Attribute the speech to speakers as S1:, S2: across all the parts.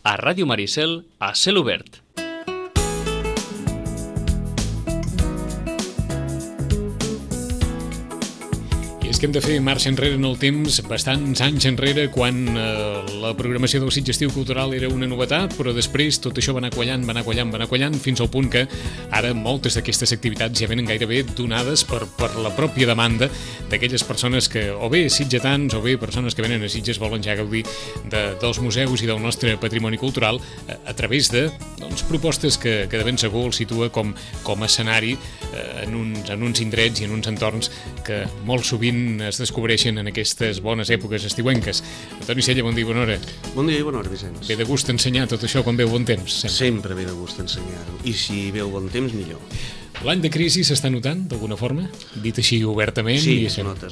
S1: a Ràdio Maricel, a Cel Obert. Que hem de fer marxa enrere en el temps, bastants anys enrere, quan la programació del Sitges Estiu Cultural era una novetat, però després tot això va anar quallant, fins al punt que ara moltes d'aquestes activitats ja venen gairebé donades per la pròpia demanda d'aquelles persones que, o bé sitgetans, o bé persones que venen a Sitges volen ja gaudir dels museus i del nostre patrimoni cultural a través de propostes que de ben segur el situa com a escenari en uns indrets i en uns entorns que molt sovint es descobreixen en aquestes bones èpoques estiuenques. Antoni Sella, bon dia i bona hora.
S2: Bon dia i bona hora, Vicenç.
S1: Ve de gust ensenyar tot això quan veu bon temps?
S2: Sempre ve de gust ensenyar-ho, i si veu bon temps, millor.
S1: L'any de crisi s'està notant, d'alguna forma? Dit així obertament?
S2: Sí, es nota.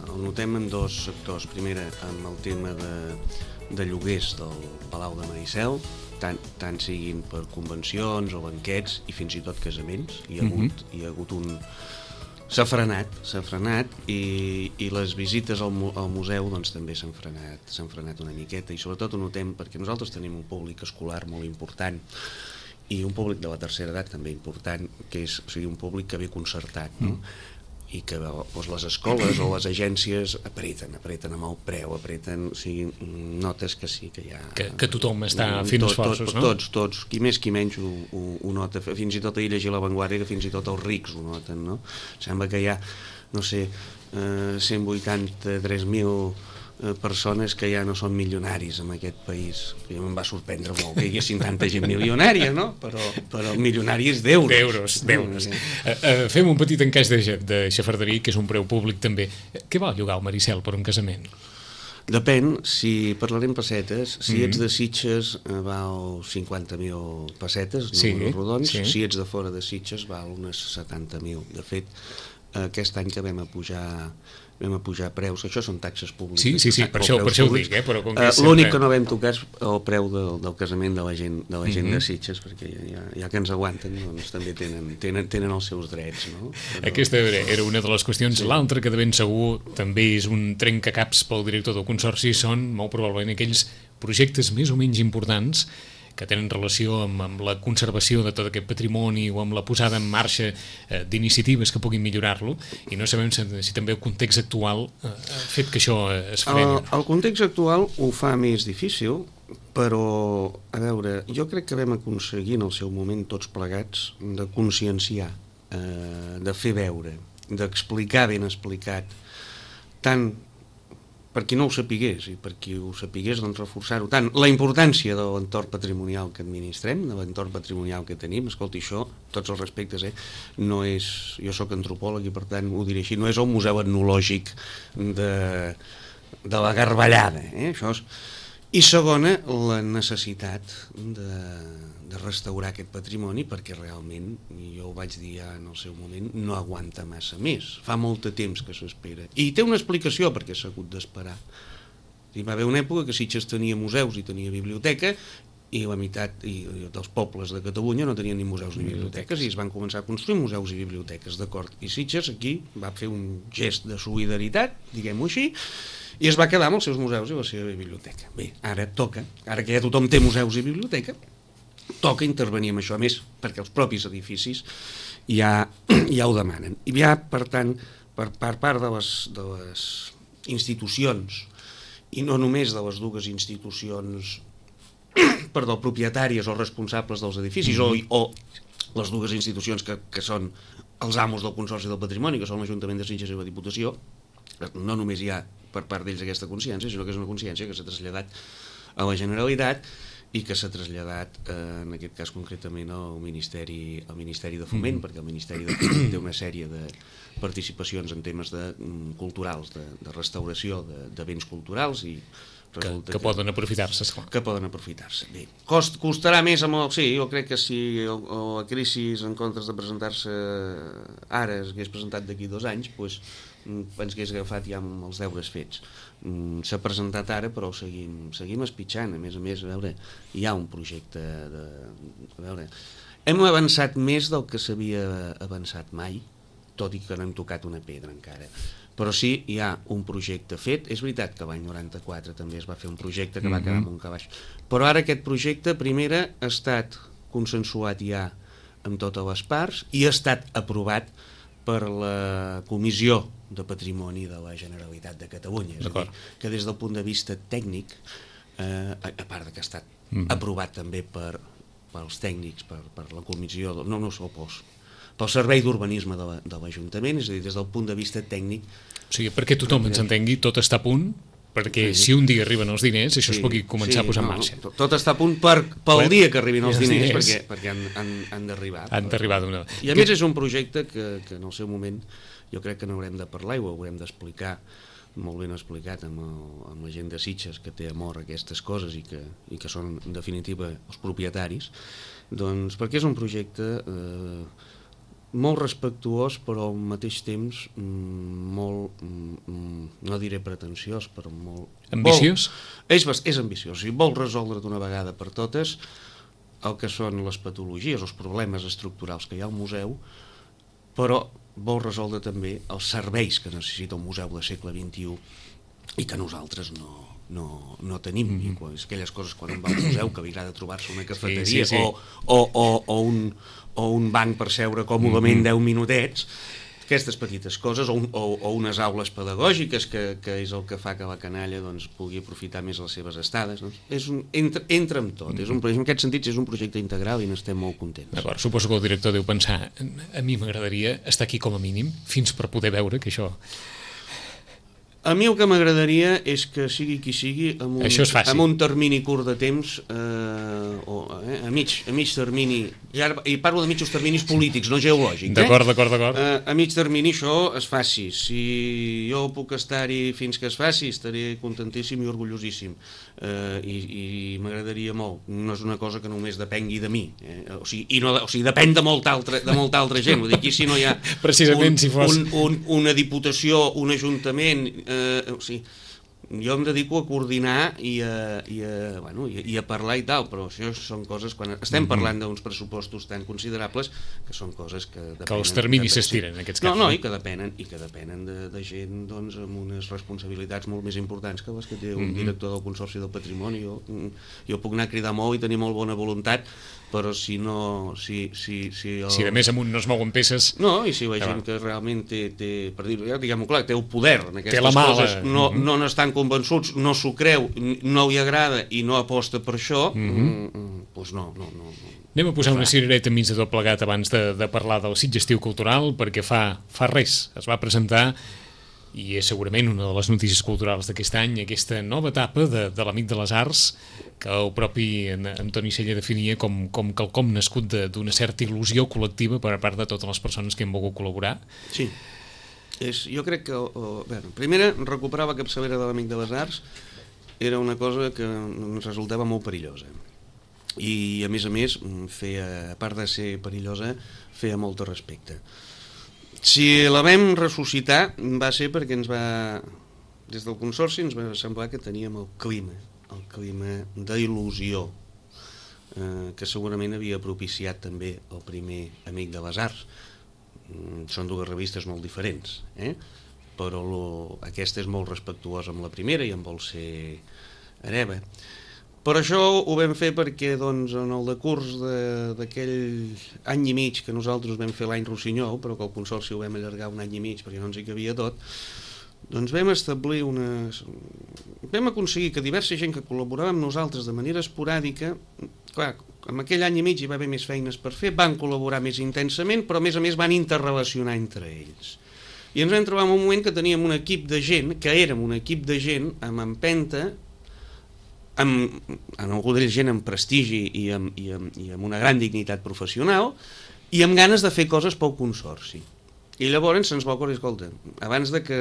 S2: Ho notem en dos sectors. Primera, amb el tema de lloguers del Palau de Maricel, tant siguin per convencions o banquets i fins i tot casaments. Hi ha hagut un... S'ha frenat i les visites al museu també s'han frenat una miqueta, i sobretot ho notem perquè nosaltres tenim un públic escolar molt important i un públic de la tercera edat també important, que és un públic que ve concertat, no? I que les escoles o les agències apreten amb el preu, notes que sí, que hi ha...
S1: Que tothom està fent esforços, no?
S2: Tots, qui més qui menys ho nota, fins i tot ahir llegir La Vanguardia, que fins i tot els rics ho noten, no? Sembla que hi ha, 183.000 persones que ja no són milionaris en aquest país, que em va sorprendre molt que hi haguessin tanta gent milionària, no? Però milionari és d'euros.
S1: D'euros. Fem un petit encaix de xafarderia, que és un preu públic també. Què val llogar al Maricel per un casament?
S2: Depèn, si parlarem pessetes, si ets de Sitges val 50.000 pessetes, números rodons, si ets de fora de Sitges val unes 70.000. De fet, aquest any que vam a pujar preus, això són taxes públiques.
S1: Sí, per això ho dic, però com que
S2: l'únic que no vam tocar és el preu del casament de la gent de Sitges, perquè ja que ens aguanten, doncs també tenen els seus drets, no?
S1: Aquesta era una de les qüestions. L'altra, que de ben segur també és un trencacaps pel director del Consorci, són molt probablement aquells projectes més o menys importants que tenen relació amb la conservació de tot aquest patrimoni o amb la posada en marxa d'iniciatives que puguin millorar-lo, i no sabem si també el context actual ha fet que això es freni.
S2: El context actual ho fa més difícil, però, a veure, jo crec que vam aconseguir en el seu moment tots plegats de conscienciar, de fer veure, d'explicar ben explicat, tant per qui no ho sapigués i per qui ho sapigués, doncs reforçar-ho tant, la importància de l'entorn patrimonial que administrem, de l'entorn patrimonial que tenim. Escolti, això, tots els respectes, no és... Jo sóc antropòleg i per tant ho diré així, no és el museu etnològic de la Garballada, això és... I segona, la necessitat de restaurar aquest patrimoni, perquè realment, jo ho vaig dir ja en el seu moment, no aguanta massa més. Fa molt de temps que s'espera. I té una explicació perquè s'ha hagut d'esperar. Va haver una època que Sitges tenia museus i tenia biblioteca, i la meitat dels pobles de Catalunya no tenien ni museus ni biblioteques, i es van començar a construir museus i biblioteques, d'acord? I Sitges aquí va fer un gest de solidaritat, diguem-ho així, i es va quedar amb els seus museus i la seva biblioteca. Bé, ara toca, ara que ja tothom té museus i biblioteca, toca intervenir en això, a més, perquè els propis edificis ja ho demanen. I ja, per tant, per part de les institucions, i no només de les dues institucions propietàries o responsables dels edificis, o les dues institucions que són els amos del Consorci del Patrimoni, que són l'Ajuntament de Sitges i la Diputació, no només hi ha per part d'ells aquesta consciència, sinó que és una consciència que s'ha traslladat a la Generalitat i que s'ha traslladat, en aquest cas concretament, al Ministeri de Foment, perquè el Ministeri de Foment té una sèrie de participacions en temes culturals, de restauració de béns culturals, i
S1: que poden aprofitar-se, esclar.
S2: Que poden aprofitar-se. Bé, costarà més amb el... Sí, jo crec que si la crisi, en comptes de presentar-se ara, es hagués presentat d'aquí 2 anys, doncs ens hagués agafat ja amb els deures fets. S'ha presentat ara, però seguim espitxant. A més, a veure, hi ha un projecte de... A veure, hem avançat més del que s'havia avançat mai, tot i que no hem tocat una pedra encara. però sí, hi ha un projecte fet. És veritat que l'any 94 també es va fer un projecte que va quedar amb un calaix, però ara aquest projecte primera ha estat consensuat ja amb totes les parts i ha estat aprovat per la Comissió de Patrimoni de la Generalitat de Catalunya. És a dir, que des del punt de vista tècnic, a part que ha estat aprovat també pels tècnics, per la comissió, pel Servei d'Urbanisme de l'Ajuntament, és a dir, des del punt de vista tècnic.
S1: O sigui, perquè tothom ens entengui, tot està a punt, perquè si un dia arriben els diners, això es pugui començar a posar en marxa.
S2: Tot està a punt pel dia que arribin els diners, perquè han d'arribar.
S1: Han d'arribar d'una...
S2: I a més és un projecte que en el seu moment jo crec que n'haurem de parlar i ho haurem d'explicar, molt ben explicat amb la gent de Sitges que té amor a aquestes coses i que són en definitiva els propietaris, doncs perquè és un projecte molt respectuós però al mateix temps molt, no diré pretensiós, però molt...
S1: Ambiciós?
S2: És ambiciós, i vol resoldre d'una vegada per totes el que són les patologies, els problemes estructurals que hi ha al museu, però vol resoldre també els serveis que necessita un museu del segle XXI i que nosaltres no tenim. I aquelles coses quan un va al museu que li agrada trobar-se una cafeteria o un banc per seure còmodament 10 minutets, aquestes petites coses, o unes aules pedagògiques que és el que fa que la canalla pugui aprofitar més les seves estades. Entra amb tot. En aquest sentit és un projecte integral i n'estem molt contents.
S1: D'acord, suposo que el director deu pensar, a mi m'agradaria estar aquí com a mínim fins per poder veure que això...
S2: A mi el que m'agradaria és que sigui qui sigui amb un termini curt de temps a mig termini, i parlo de mitjos terminis polítics, no geològics.
S1: D'acord.
S2: A mig termini això es faci. Si jo puc estar-hi fins que es faci, estaré contentíssim i orgullosíssim. I m'agradaria molt. No és una cosa que només depengui de mi. O sigui, depèn de molta altra gent. Vull dir, aquí si no hi ha una diputació, un ajuntament... jo em dedico a coordinar i a parlar i tal, però això són coses quan estem parlant d'uns pressupostos tan considerables que són coses que depenen,
S1: que els terminis s'estiren en aquests casos.
S2: I que depenen de gent amb unes responsabilitats molt més importants que les que té un director del Consorci del Patrimoni. Jo puc anar a cridar molt i tenir molt bona voluntat, però si no... Si
S1: de més amunt no es mouen peces...
S2: No, i si la gent que realment té per dir-ho, diguem-ho clar, té el poder en aquestes coses, no n'estan convençuts, no s'ho creu, no li agrada i no aposta per això, doncs no.
S1: Anem a posar una cirereta enmig de tot plegat abans de parlar del Sitges Estiu Cultural, perquè fa res es va presentar i és segurament una de les notícies culturals d'aquest any, aquesta nova etapa de l'Amic de les Arts, que el propi Antoni Sella definia com quelcom nascut d'una certa il·lusió col·lectiva per part de totes les persones que han volgut col·laborar.
S2: Sí, jo crec que primera, recuperar la capçalera de l'Amic de les Arts era una cosa que ens resultava molt perillosa i a més, a part de ser perillosa, feia molt de respecte. Si la vam ressuscitar va ser perquè des del Consorci ens va semblar que teníem el clima d'il·lusió que segurament havia propiciat també el primer Amic de les Arts. Són dues revistes molt diferents, però aquesta és molt respectuosa amb la primera i en vol ser hereva. Per això ho vam fer perquè en el decurs d'aquell any i mig que nosaltres vam fer l'any Rossinyol, però que el Consorci ho vam allargar un any i mig perquè no ens hi cabia tot, doncs vam aconseguir que diversa gent que col·laborava amb nosaltres de manera esporàdica, clar, en aquell any i mig hi va haver més feines per fer, van col·laborar més intensament, però a més van interrelacionar entre ells. I ens vam trobar en un moment que teníem un equip de gent, que érem un equip de gent amb empenta, amb algú d'ells gent amb prestigi i amb una gran dignitat professional i amb ganes de fer coses pel Consorci. I llavors se'ns va ocórrer, escolta, abans de que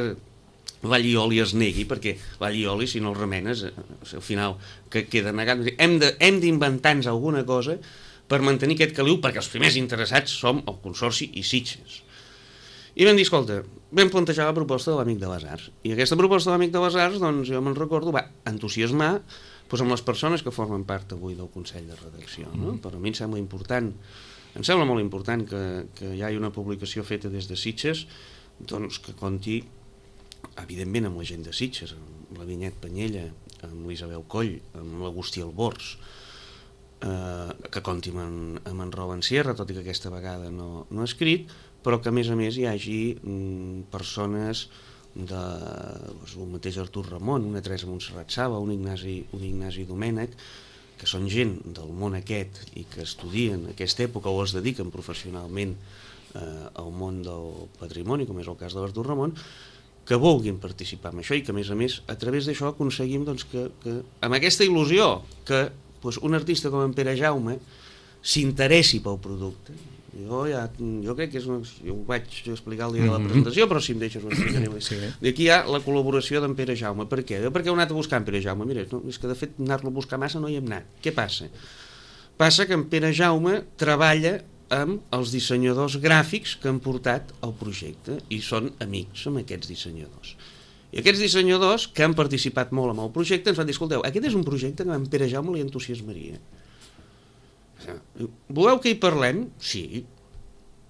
S2: l'allioli es negui, perquè l'allioli si no el remenes al final que queda negat, hem d'inventar-nos alguna cosa per mantenir aquest caliu, perquè els primers interessats som el Consorci i Sitges. I vam dir, escolta, vam plantejar la proposta de l'Amic de les Arts, i aquesta proposta de l'Amic de les Arts, doncs jo me'n recordo, va entusiasmar amb les persones que formen part avui del Consell de Redacció, no? Per a mi em sembla molt important que hi hagi una publicació feta des de Sitges, doncs que compti evidentment amb la gent de Sitges, amb la Vinyet Panyella, amb l'Isabel Coll, amb l'Agustí Albors, que compti amb en Robin Sierra, tot i que aquesta vegada no ha escrit, però que a més hi hagi persones el mateix Artur Ramon, una Teresa Montserrat Saba, un Ignasi Domènech, que són gent del món aquest i que estudien aquesta època o es dediquen professionalment al món del patrimoni, com és el cas de l'Artur Ramon, que vulguin participar en això i que a més a través d'això aconseguim que amb aquesta il·lusió que un artista com en Pere Jaume s'interessi pel producte. Jo crec que és jo ho vaig explicar el dia de la presentació, però si em deixes ho explicaré. Sí. Aquí hi ha la col·laboració d'en Pere Jaume. Per què? Perquè heu anat a buscar en Pere Jaume. Mira, és que de fet anar-lo a buscar massa no hi hem anat. Què passa? Passa que en Pere Jaume treballa amb els dissenyadors gràfics que han portat el projecte i són amics amb aquests dissenyadors. I aquests dissenyadors que han participat molt amb el projecte ens van dir, escolteu, aquest és un projecte que a en Pere Jaume li entusiasmaria. Voleu que hi parlem? Sí.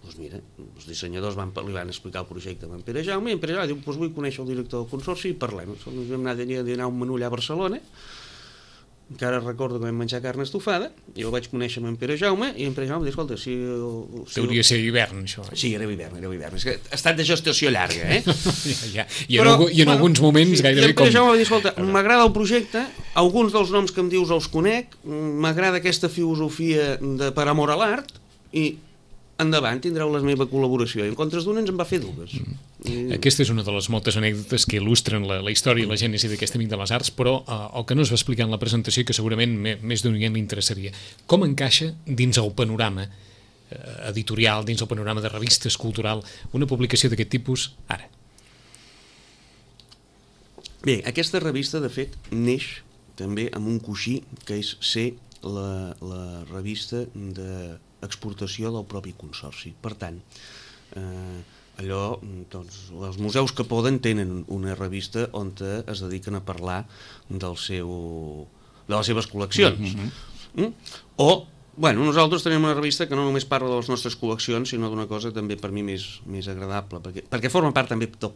S2: Doncs mira, els dissenyadors li van explicar el projecte a en Pere Jaume i en Pere Jaume diu, vull conèixer el director del consorci i parlem. Vam anar a un menú allà a Barcelona, encara recordo que vam menjar carn estofada, i el vaig conèixer amb en Pere Jaume i en Pere Jaume em va dir, escolta,
S1: hauria de ser hivern, això.
S2: Sí, era hivern. És que ha estat de gestació llarga,
S1: I en alguns moments gairebé com...
S2: I en Pere Jaume va dir, escolta, m'agrada el projecte, alguns dels noms que em dius els conec, m'agrada aquesta filosofia per amor a l'art, i endavant tindreu la meva col·laboració. I en comptes d'una ens en va fer dues.
S1: Aquesta és una de les moltes anècdotes que il·lustren la història i la gènesi d'aquest Amic de les Arts, però el que no es va explicar en la presentació i que segurament més d'un li interessaria, com encaixa dins el panorama editorial, dins el panorama de revistes cultural, una publicació d'aquest tipus ara?
S2: Bé, aquesta revista de fet neix també amb un coixí que és ser la revista d'exportació del propi consorci. Per tant, els museus que poden tenen una revista on es dediquen a parlar de les seves col·leccions. Nosaltres tenim una revista que no només parla de les nostres col·leccions, sinó d'una cosa també per mi més agradable, perquè forma part també de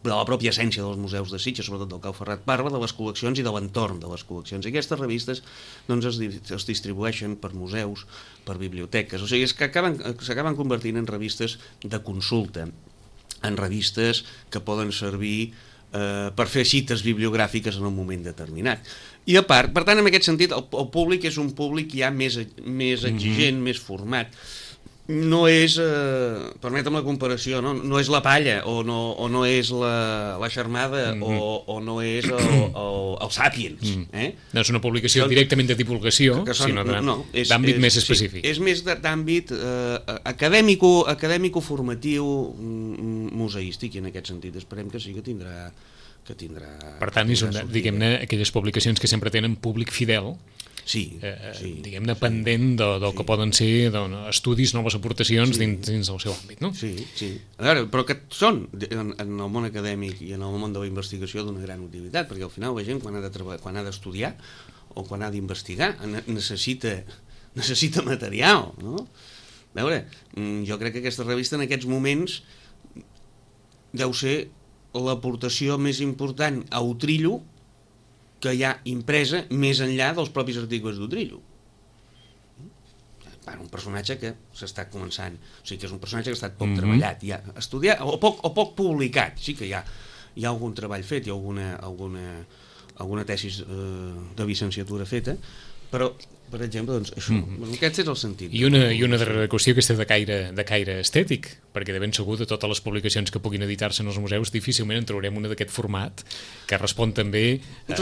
S2: la pròpia essència dels museus de Sitges, sobretot del Cau Ferrat, parla de les col·leccions i de l'entorn de les col·leccions. I aquestes revistes es distribueixen per museus, per biblioteques, o sigui, s'acaben convertint en revistes de consulta, en revistes que poden servir per fer cites bibliogràfiques en un moment determinat. I a part, per tant, en aquest sentit, el públic és un públic ja més exigent, més format. No és, permetem la comparació, no és la Palla, o no és la Xarmada, o no és el Sàpiens.
S1: No és una publicació directament de divulgació, sinó d'àmbit més específic.
S2: És més d'àmbit acadèmico-formatiu, museístic, i en aquest sentit esperem que sí que tindrà...
S1: Per tant, diguem-ne, aquelles publicacions que sempre tenen públic fidel, diguem-ne, pendent del que poden ser estudis, noves aportacions dins del seu àmbit, no?
S2: Sí. A veure, però que són en el món acadèmic i en el món de la investigació d'una gran utilitat, perquè al final la gent quan ha d'estudiar o quan ha d'investigar necessita material, no? A veure, jo crec que aquesta revista en aquests moments deu ser l'aportació més important a Utrillo que hi ha impresa més enllà dels propis articles d'Utrillo. Un personatge que s'està començant, o sigui que és un personatge que ha estat poc treballat, ja estudiat o poc publicat. Sí que hi ha algun treball fet, hi ha alguna tesis de llicenciatura feta, però per exemple, doncs això, aquest és el sentit.
S1: I una darrera qüestió que està de caire estètic, perquè de ben segur de totes les publicacions que puguin editar-se en els museus difícilment en trobarem una d'aquest format que respon també a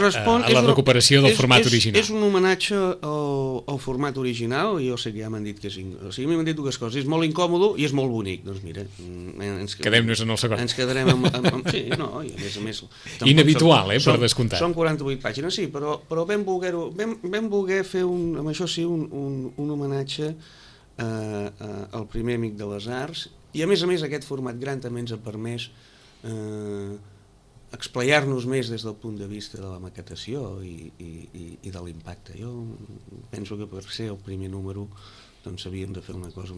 S1: la recuperació del format original.
S2: És un homenatge al format original, i jo sé que ja m'han dit que m'han dit dues coses, és molt incòmodo i és molt bonic. Doncs mira,
S1: quedem-nos en el segon.
S2: Ens quedarem amb sí, no, i a més
S1: inhabitual, per descomptat.
S2: Són 48 pàgines, sí, però vam voler fer amb això sí, un homenatge al primer Amic de les Arts, i a més aquest format gran també ens ha permès explayar-nos més des del punt de vista de la maquetació i de l'impacte. Jo penso que per ser el primer número doncs havíem de fer una cosa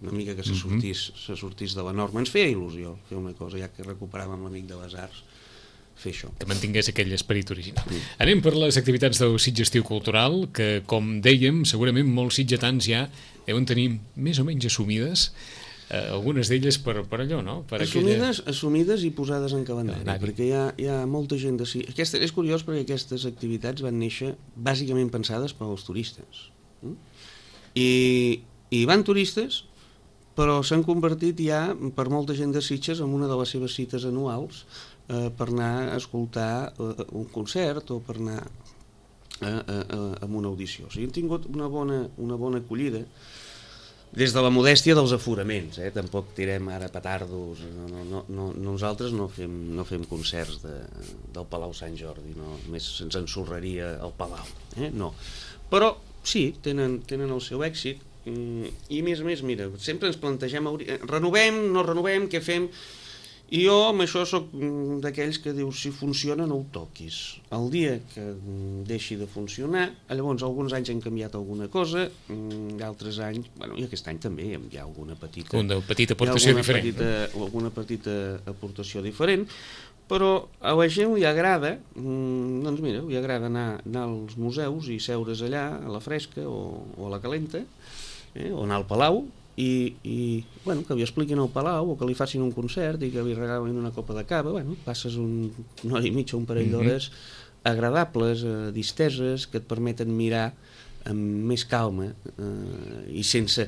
S2: una mica que se sortís de la norma. Ens feia il·lusió fer una cosa, ja que recuperàvem l'Amic de les Arts, fer això.
S1: Que mantingués aquell esperit original. Anem per les activitats del Sitges Estiu Cultural, que, com dèiem, segurament molts sitgetans ja deuen tenir més o menys assumides, algunes d'elles per allò, no? Per
S2: assumides i posades en calendari, perquè hi ha molta gent és curiós perquè aquestes activitats van néixer bàsicament pensades per als turistes. I van turistes, però s'han convertit ja per molta gent de Sitges en una de les seves cites anuals per anar a escoltar un concert o per anar a una audició. O sigui, hem tingut una bona acollida des de la modèstia dels aforaments, tampoc tirem ara petardos, nosaltres no fem concerts del Palau Sant Jordi, només se'ns ensorraria el Palau, no. Però sí, tenen el seu èxit i a més, mira, sempre ens plantegem, renovem, no renovem, què fem? I jo amb això soc d'aquells que diu, si funciona no ho toquis. El dia que deixi de funcionar, llavors alguns anys hem canviat alguna cosa, d'altres anys, i aquest any també hi ha alguna petita
S1: aportació diferent.
S2: Alguna petita aportació diferent, però a la gent li agrada, doncs mira, li agrada anar als museus i seure's allà a la fresca o a la calenta, o anar al Palau, i que li expliquin al Palau o que li facin un concert i que li regalin una copa de cava, passes una hora i mitja, un parell d'hores agradables, disteses, que et permeten mirar amb més calma i sense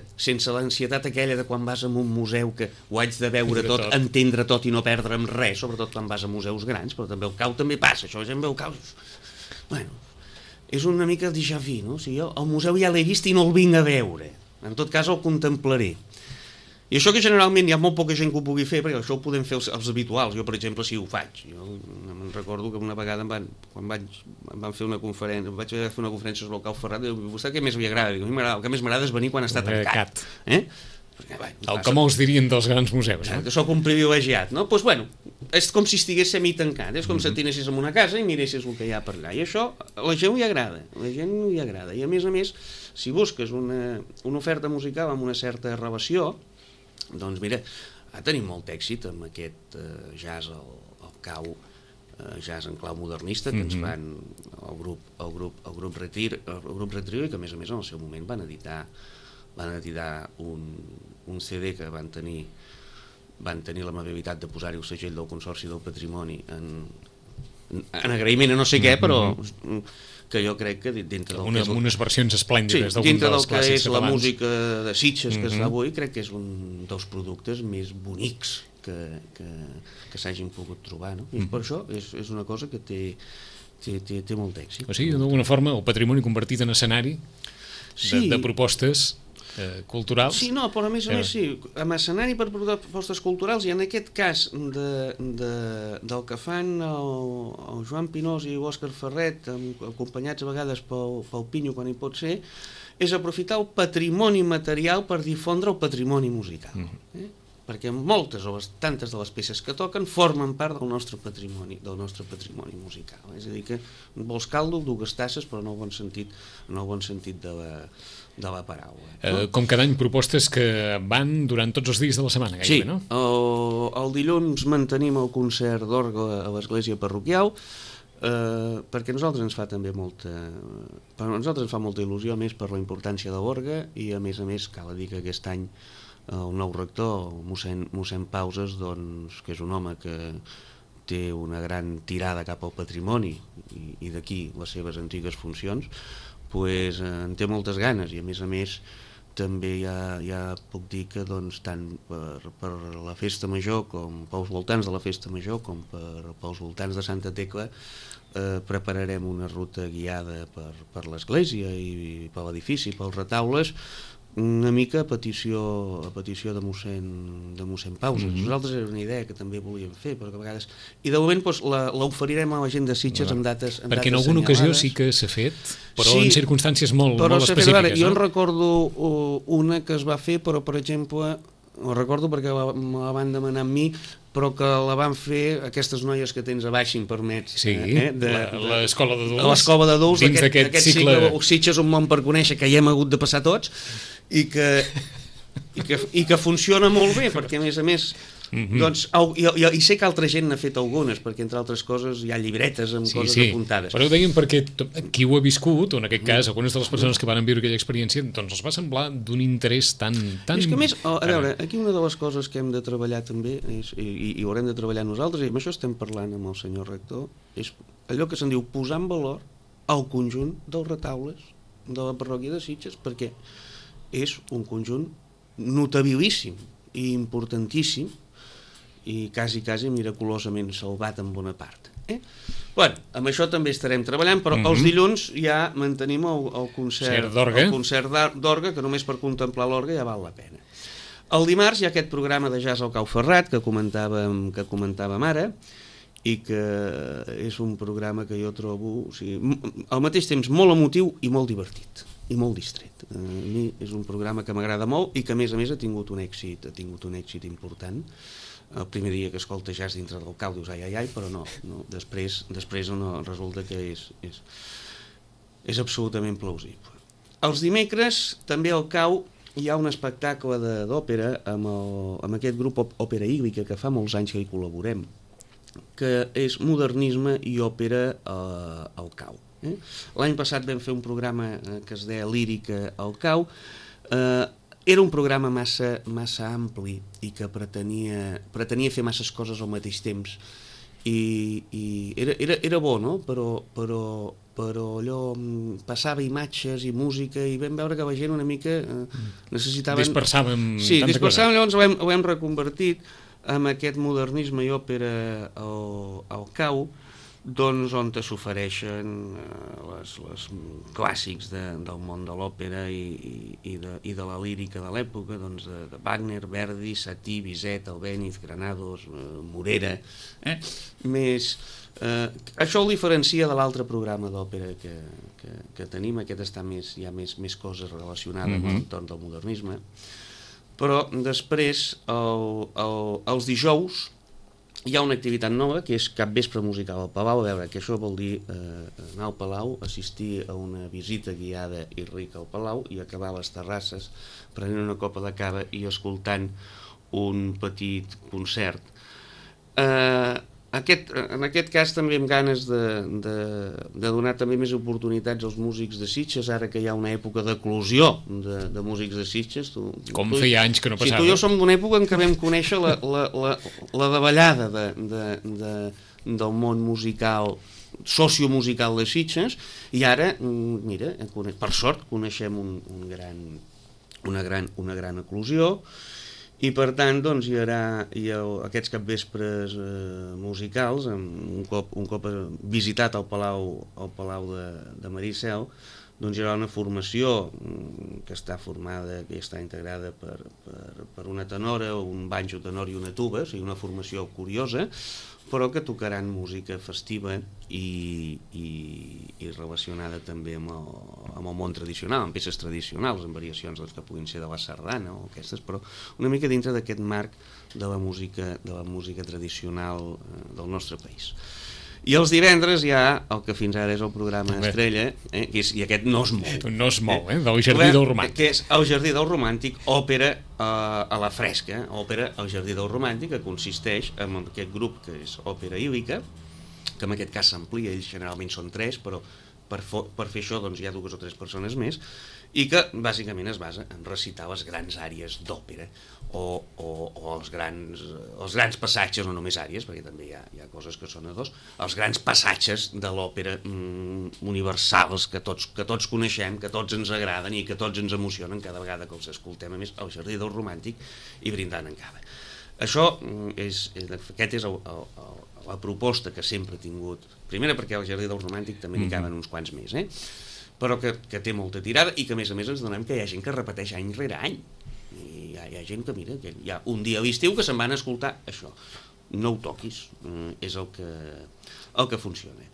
S2: l'ansietat aquella de quan vas a un museu que ho haig de veure tot, entendre tot i no perdre'm res, sobretot quan vas a museus grans, però també el cau també passa, això la gent veu cau. És una mica déjà vu, no? O sigui, jo el museu ja l'he vist i no el vinc a veure. En tot cas el contemplaré. I això que generalment hi ha molt poca gent que ho pugui fer, perquè això ho podem fer els habituals. Jo, per exemple, sí ho faig. Jo me'n recordo que una vegada quan van fer una conferència, vaig fer una conferència sobre el Cau Ferrat, i vostè què més li agrada? Dic, a mi el que més m'agrada és venir quan està tancat.
S1: El que molts dirien dels grans museus.
S2: Que sóc un privilegiat, no? Doncs és com si estigués semi-tancat, és com si t'anessis en una casa i miressis el que hi ha per allà. I això a la gent li agrada, I a més, si busques una oferta musical amb una certa relació, doncs mira, tenim molt èxit amb aquest jazz al cau, jazz en clau modernista que ens fan el grup Retiro, i que a més en el seu moment van editar un CD que van tenir l'amabilitat de posar-hi el segell del Consorci del Patrimoni en agraïment a no sé què, però que jo crec que dintre del que és
S1: unes versions esplèndides d'algun dels clàssics catalans.
S2: Dintre del que és la música de Sitges que es fa avui, crec que és un dels productes més bonics que s'hagin pogut trobar, no? I per això és una cosa que té molt èxit.
S1: O sigui, d'alguna forma, el patrimoni convertit en escenari de propostes culturals.
S2: Sí, no, però a més sí, amb escenari per propostes culturals, i en aquest cas del que fan el Joan Pinós i l'Òscar Ferret, acompanyats a vegades pel Pinyo quan hi pot ser, és aprofitar el patrimoni material per difondre el patrimoni musical. Perquè moltes o tantes de les peces que toquen formen part del nostre patrimoni musical. És a dir, que vols caldo, dues tasses, però en el bon sentit de la paraula.
S1: Com cada any, propostes que van durant tots els dies de la setmana, gairebé, no?
S2: Sí, el dilluns mantenim el concert d'orgue a l'església parroquial, perquè a nosaltres ens fa també molta il·lusió, a més per la importància de l'orgue, i a més cal dir que aquest any el nou rector, mossèn Pauses, doncs, que és un home que té una gran tirada cap al patrimoni i d'aquí les seves antigues funcions, doncs en té moltes ganes, i a més també ja puc dir que doncs, tant per la festa major com pels voltants de la festa major com pels voltants de Santa Tecla prepararem una ruta guiada per l'església i per l'edifici, pels retaules, una mica a petició de mossèn Pauses. Nosaltres era una idea que també volíem fer, però que a vegades... I de moment l'oferirem a la gent de Sitges en dates assenyalades.
S1: Perquè en alguna ocasió sí que s'ha fet, però en circumstàncies molt específiques.
S2: Jo en recordo una que es va fer, però per exemple, ho recordo perquè me la van demanar a mi, però que la van fer aquestes noies que tens a baix, si em permets.
S1: Sí, l'escola d'adults.
S2: L'escola d'adults,
S1: dins d'aquest cicle...
S2: Sitges un món per conèixer, que hi hem hagut de passar tots, i i que funciona molt bé, perquè a més doncs, i sé que altra gent n'ha fet algunes, perquè entre altres coses hi ha llibretes amb coses apuntades.
S1: Però ho deien perquè qui ho ha viscut, o en aquest cas algunes de les persones que van viure aquella experiència, doncs els va semblar d'un interès tan...
S2: És que a més, a veure, aquí una de les coses que hem de treballar també, i ho haurem de treballar nosaltres, i amb això estem parlant amb el senyor rector, és allò que se'n diu posar en valor el conjunt dels retaules de la parròquia de Sitges, perquè és un conjunt notabilíssim i importantíssim i quasi miraculosament salvat en bona part. Bueno, amb això també estarem treballant, però els dilluns ja mantenim el concert d'orgue, que només per contemplar l'orgue ja val la pena. El dimarts hi ha aquest programa de jazz al Cau Ferrat que comentàvem ara, i que és un programa que jo trobo al mateix temps molt emotiu i molt divertit i molt distret. A mi és un programa que m'agrada molt i que a més ha tingut un èxit important. El primer dia que escolta jazz dintre del Cau dius ai, però no, després resulta que és absolutament plausible. Els dimecres també al Cau hi ha un espectacle d'òpera amb aquest grup Òpera Íglica que fa molts anys que hi col·laborem, que és modernisme i òpera al Cau. L'any passat vam fer un programa que es deia Lírica al Cau. Era un programa massa ampli i que pretenia fer masses coses al mateix temps i era bo, no? Però allò passava imatges i música i vam veure que la gent una mica necessitaven...
S1: Dispersàvem,
S2: llavors ho hem reconvertit amb aquest modernisme i òpera al Cau, doncs on s'ofereixen les clàssics del món de l'òpera i de la lírica de l'època, doncs de Wagner, Verdi, Satie, Bizet, Albéniz, Granados, Morera. Això el diferencia de l'altre programa d'òpera que tenim. Aquest està hi ha més coses relacionades amb l'entorn del modernisme. Però després, els dijous, hi ha una activitat nova que és capvespre musical al Palau. A veure, que això vol dir anar al Palau, assistir a una visita guiada i rica al Palau i acabar a les terrasses prenent una copa de cava i escoltant un petit concert. En aquest cas també amb ganes de donar també més oportunitats als músics de Sitges, ara que hi ha una època d'eclosió de músics de Sitges.
S1: Com feia anys que no passava.
S2: Tu i jo som d'una època en què vam conèixer la davallada del món musical, sociomusical de Sitges, i ara, mira, per sort coneixem una gran eclosió. I per tant doncs, hi haurà aquests capvespres musicals, un cop visitat al Palau de Maricel, doncs hi haurà una formació que està integrada per una tenora, un banjo tenor i una tuba, o sigui, una formació curiosa, però que tocaran música festiva i relacionada també amb el món tradicional, amb peces tradicionals, amb variacions que puguin ser de la sardana o aquestes, però una mica dintre d'aquest marc de la música tradicional del nostre país. I els divendres hi ha el que fins ara és el programa estrella, i aquest no es mou.
S1: No es mou, del Jardí del Romàntic.
S2: Que és el Jardí del Romàntic, òpera a la fresca, òpera al Jardí del Romàntic, que consisteix en aquest grup que és Òpera Ílica, que en aquest cas s'amplia, ells generalment són 3, però per fer això doncs, hi ha 2 o 3 persones més, i que bàsicament es basa en recitar les grans àries d'òpera o els grans passatges, no només àries, perquè també hi ha coses que són a 2, els grans passatges de l'òpera universals que tots coneixem, que tots ens agraden i que tots ens emocionen cada vegada que els escoltem, a més, al Jardí del Romàntic i brindant en cava. Aquest és la proposta que sempre he tingut, primera perquè al Jardí del Romàntic també n'hi caben uns quants més, però que té molta tirada i que a més ens donem que hi ha gent que repeteix any rere any. I hi ha gent que, mira, que hi ha un dia a l'estiu que se'n van a escoltar això. No ho toquis, és el que funciona.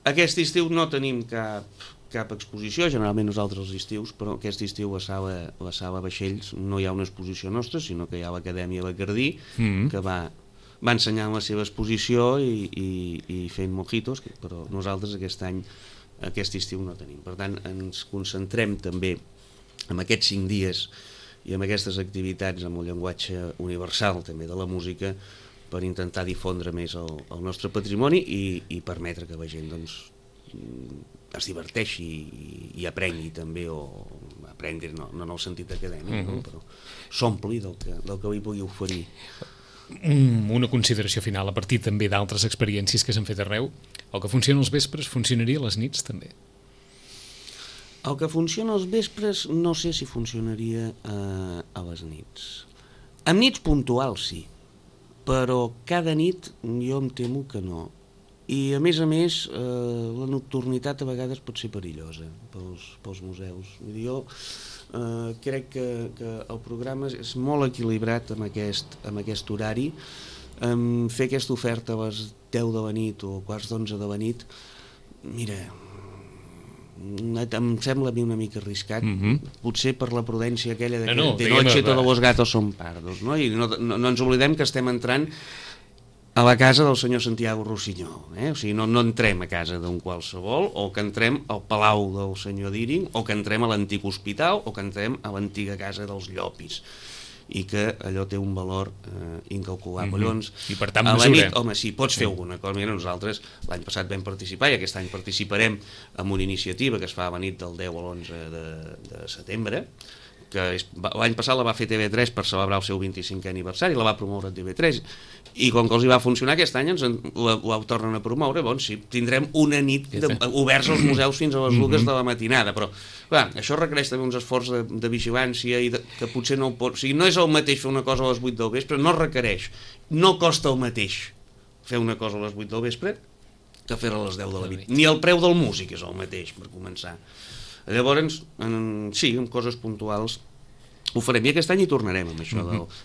S2: Aquest estiu no tenim cap exposició, generalment nosaltres els estius, però aquest estiu a la sala Vaixells no hi ha una exposició nostra, sinó que hi ha l'Acadèmia Bacardí, que va ensenyant la seva exposició i fent mojitos, però nosaltres aquest estiu no tenim. Per tant, ens concentrem també en aquests 5 dies i amb aquestes activitats, amb el llenguatge universal també de la música, per intentar difondre més el nostre patrimoni i permetre que la gent doncs, es diverteixi i aprengui també, o aprengui no en el sentit acadèmic, no? Però s'ompli del que li pugui oferir.
S1: Una consideració final, a partir també d'altres experiències que s'han fet arreu, el que funciona als vespres funcionaria a les nits també?
S2: El que funciona als vespres no sé si funcionaria a les nits. Amb nits puntuals sí, però cada nit jo em temo que no. I a més, la nocturnitat a vegades pot ser perillosa pels museus. Jo crec que el programa és molt equilibrat amb aquest horari. Fer aquesta oferta a les 10 de la nit o quarts d'11 de la nit, mira, em sembla a mi una mica arriscat, potser per la prudència aquella de que de noche todos los gatos son pardos, no? I no ens oblidem que estem entrant a la casa del senyor Santiago Rossinyol, o sigui, no entrem a casa d'un qualsevol, o que entrem al palau del senyor Díring, o que entrem a l'antic hospital, o que entrem a l'antiga casa dels Llopis, i que allò té un valor incalculable. Llavors,
S1: i per tant,
S2: a la nit, home, sí, pots fer alguna cosa. Mira, nosaltres l'any passat vam participar i aquest any participarem en una iniciativa que es fa a la nit del 10 a l'11 de setembre, que l'any passat la va fer TV3 per celebrar el seu 25è aniversari, la va promoure a TV3, i com que els hi va funcionar aquest any la tornen a promoure. Doncs sí, tindrem una nit oberts als museus fins a les 2 de la matinada, però clar, això requereix també uns esforços de vigilància i que potser no pot, o sigui, no és el mateix fer una cosa a les 8 del vespre, no requereix, no costa el mateix fer una cosa a les 8 del vespre que fer-la a les 10 de la nit, ni el preu del músic és el mateix, per començar. Llavors, sí, amb coses puntuals ho farem, i aquest any hi tornarem amb això,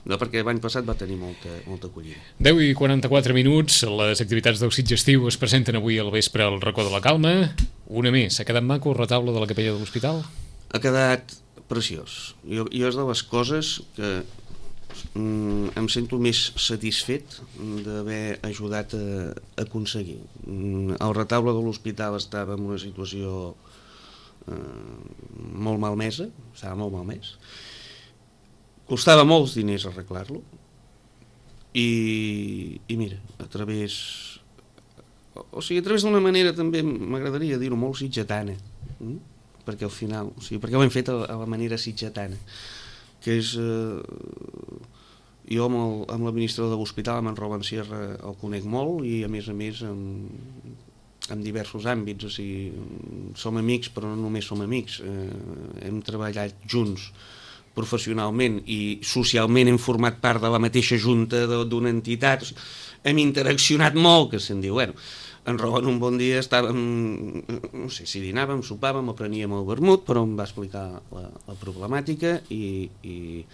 S2: perquè l'any passat va tenir molta acollida.
S1: 10:44 minuts, les activitats del Sitgestiu es presenten avui al vespre al Racó de la Calma. Una més, ha quedat maco el retaule de la capella de l'Hospital?
S2: Ha quedat preciós. Jo és de les coses que em sento més satisfet d'haver ajudat a aconseguir. El retaule de l'Hospital estava en una situació molt malmesa, estava molt malmès, costava molts diners arreglar-lo, i mira, a través d'una manera també m'agradaria dir-ho molt sitgetana, perquè al final, perquè ho hem fet a la manera sitgetana, que és jo amb l'administrador de l'hospital, amb en Roland Sierra, el conec molt, i a més en diversos àmbits, o sigui, som amics, però no només som amics, hem treballat junts professionalment i socialment, hem format part de la mateixa junta d'una entitat, hem interaccionat molt, que se'n diu, bueno, en Roland un bon dia estàvem, no sé si dinàvem, sopàvem o preníem el vermut, però em va explicar la problemàtica i li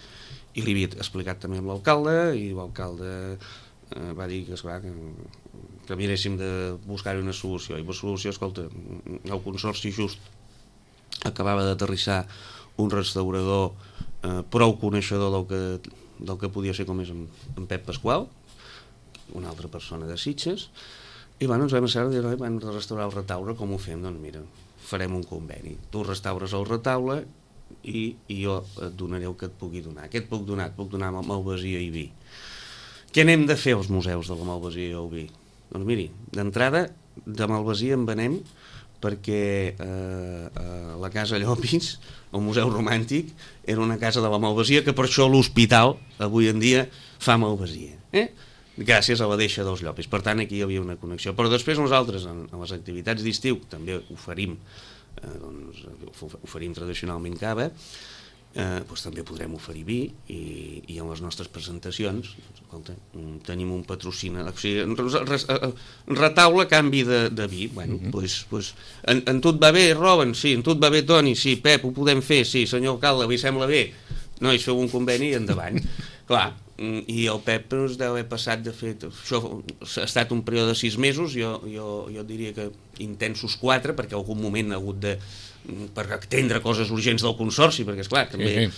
S2: havia explicat també amb l'alcalde, i l'alcalde va dir que, esclar, que miréssim de buscar una solució, i la solució, escolta, el Consorci just acabava d'aterrissar un restaurador prou coneixedor del que podia ser, com és en Pep Pasqual, una altra persona de Sitges, i ens vam asseure i dir, hem de restaurar el retaule, com ho fem? Doncs mira, farem un conveni, tu restaures el retaule i jo et donaré el que et pugui donar. Què et puc donar? Et puc donar malvasia i vi. Què n'hem de fer als museus de la malvasia i el vi? Doncs miri, d'entrada, de malvasia en venem, perquè la Casa Llopis, el Museu Romàntic, era una casa de la malvasia, que per això l'hospital avui en dia fa malvasia, gràcies a la deixa dels Llopis. Per tant, aquí hi havia una connexió. Però després nosaltres, en les activitats d'estiu, també oferim tradicionalment cava, doncs també podrem oferir vi, i en les nostres presentacions, escolta, tenim un patrocinador, o sigui, retaule a canvi de vi. Bueno, doncs en tu et va bé, Robin? Sí. En tu et va bé, Toni? Sí. Pep, ho podem fer? Sí. Senyor alcalde, li sembla bé? Nois, feu un conveni i endavant. Clar, i el Pep ens deu haver passat, de fet, això ha estat un període de 6 mesos, jo diria que intensos 4, perquè en algun moment ha hagut per atendre coses urgents del Consorci, perquè esclar, també...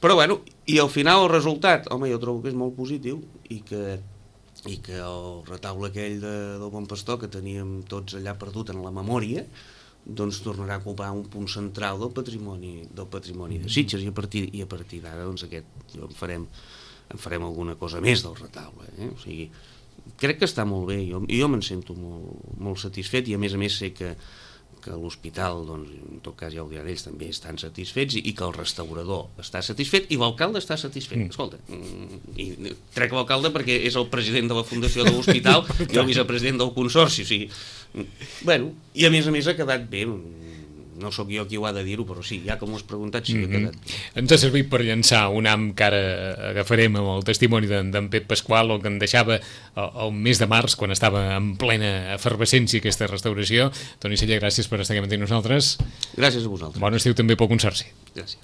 S2: Però bueno, i al final el resultat, home, jo trobo que és molt positiu, i que el retaule aquell del Bon Pastor, que teníem tots allà perdut en la memòria, doncs tornarà a ocupar un punt central del patrimoni de Sitges, i a partir d'ara doncs en farem alguna cosa més del retaule, o sigui, crec que està molt bé, jo me'n sento molt satisfet, i a més sé que l'hospital, doncs, en tot cas ja ho diran ells, també estan satisfets, i que el restaurador està satisfet i l'alcalde està satisfet. Escolta, i trec l'alcalde perquè és el president de la fundació de l'hospital i el vicepresident del consorci, o sigui, bueno, i a més ha quedat bé. No sóc jo qui ho ha de dir-ho, però sí, ja que m'ho has preguntat, sí que ha quedat bé.
S1: Ens ha servit per llançar un ham que ara agafarem amb el testimoni d'en Pep Pasqual, el que en deixava el mes de març, quan estava en plena efervescència aquesta restauració. Toni Cella, gràcies per estar aquí amb nosaltres.
S2: Gràcies a vosaltres.
S1: Bon estiu també pel Consorci.
S2: Gràcies.